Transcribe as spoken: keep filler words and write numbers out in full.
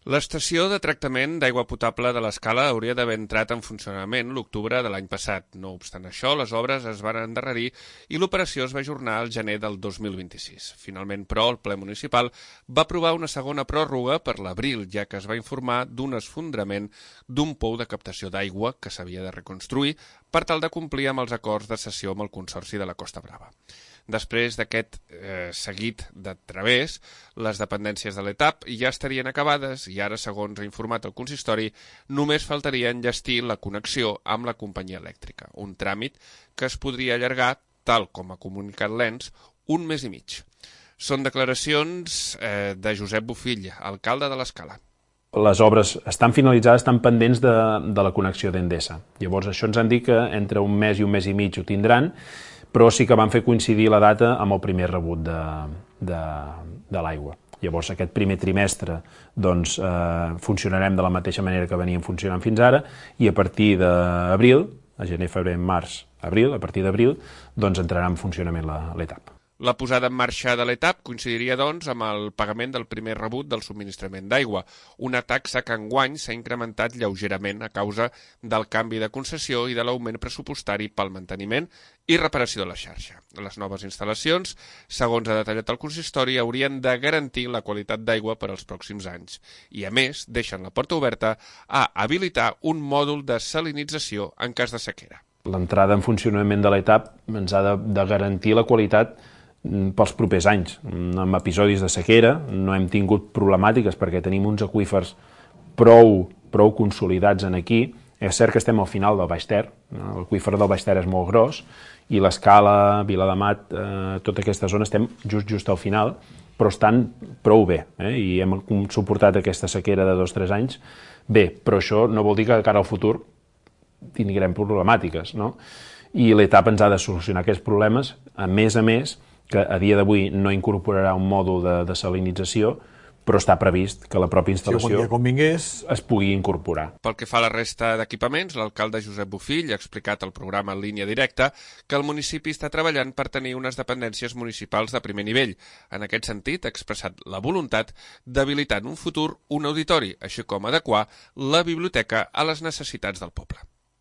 L'estació de tractament d'aigua potable de l'Escala hauria d'haver entrat en funcionament l'octubre de l'any passat. No obstant això, les obres es van endarrerir i l'operació es va ajornar al gener del dos mil vint-i-sis. Finalment, però, el ple municipal va aprovar una segona pròrroga per l'abril, ja que es va informar d'un esfondrament d'un pou de captació d'aigua que s'havia de reconstruir per tal de complir amb els acords de cessió amb el Consorci de la Costa Brava. Després d'aquest eh, seguit de través, les dependències de l'E T A P ja estarien acabades i ara, segons ha informat el consistori, només faltaria enllestir la connexió amb la companyia elèctrica, un tràmit que es podria allargar, tal com ha comunicat l'E N S, un mes i mig. Són declaracions eh, de Josep Bofill, alcalde de l'Escala. Les obres estan finalitzades, estan pendents de, de la connexió d'Endesa. Llavors, això ens han dit que entre un mes i un mes i mig ho tindran, però sí que van fer coincidir la data amb el primer rebut de, de, de l'aigua. Llavors, aquest primer trimestre doncs, eh, funcionarem de la mateixa manera que veníem funcionant fins ara i a partir d'abril, a gener, febrer, març, abril, a partir d'abril, doncs entrarà en funcionament l'E T A P. La posada en marxa de l'E T A P coincidiria, doncs, amb el pagament del primer rebut del subministrament d'aigua, una taxa que enguany s'ha incrementat lleugerament a causa del canvi de concessió i de l'augment pressupostari pel manteniment i reparació de la xarxa. Les noves instal·lacions, segons ha detallat el consistori, haurien de garantir la qualitat d'aigua per als pròxims anys i, a més, deixen la porta oberta a habilitar un mòdul de salinització en cas de sequera. L'entrada en funcionament de l'E T A P ens ha de, de garantir la qualitat pels propers anys. En episodis de sequera no hem tingut problemàtiques perquè tenim uns aqüífers prou, prou consolidats en aquí. És cert que estem al final del Baix Ter, l'aqüífer del Baix Ter és molt gros i l'Escala, Viladamat, eh, tota aquesta zona estem just just al final, però estan prou bé, eh? I hem suportat aquesta sequera de dos o tres anys bé, però això no vol dir que de cara al futur tindrem problemàtiques, no? I l'E T A P ens ha de solucionar aquests problemes, a més a més, que a dia d'avui no incorporarà un mòdul de desalinització, però està previst que la pròpia instal·lació es pugui incorporar. Pel que fa a la resta d'equipaments, l'alcalde Josep Bofill ha explicat al programa en línia directa que el municipi està treballant per tenir unes dependències municipals de primer nivell. En aquest sentit, ha expressat la voluntat d'habilitar en un futur un auditori, així com adequar la biblioteca a les necessitats del poble.